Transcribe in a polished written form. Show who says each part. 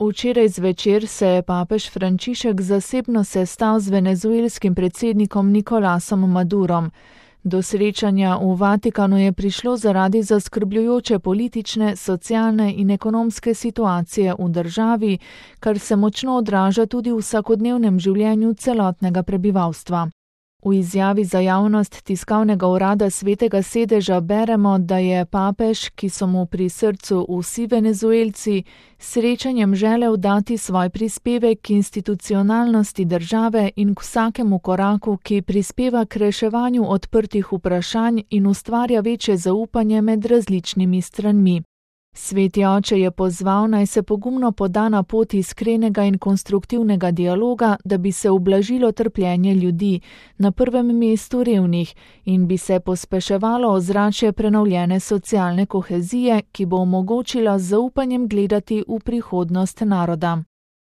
Speaker 1: Včeraj zvečer se je papež Frančišek zasebno sestal z venezuelskim predsednikom Nicolasom Madurom. Do srečanja v Vatikanu je prišlo zaradi zaskrbljujoče politične, socialne in ekonomske situacije v državi, kar se močno odraža tudi v vsakodnevnem življenju celotnega prebivalstva. V izjavi za javnost tiskovnega urada Svetega sedeža beremo, da je papež, ki so mu pri srcu vsi Venezuelci, srečanjem želel dati svoj prispevek k institucionalnosti države in k vsakemu koraku, ki prispeva k reševanju odprtih vprašanj in ustvarja večje zaupanje med različnimi stranmi. Sveti oče je pozval, naj se pogumno poda na pot iskrenega in konstruktivnega dialoga, da bi se ublažilo trpljenje ljudi, na prvem mestu revnih, in bi se pospeševalo ozračje prenovljene socialne kohezije, ki bo omogočila z zaupanjem gledati v prihodnost naroda.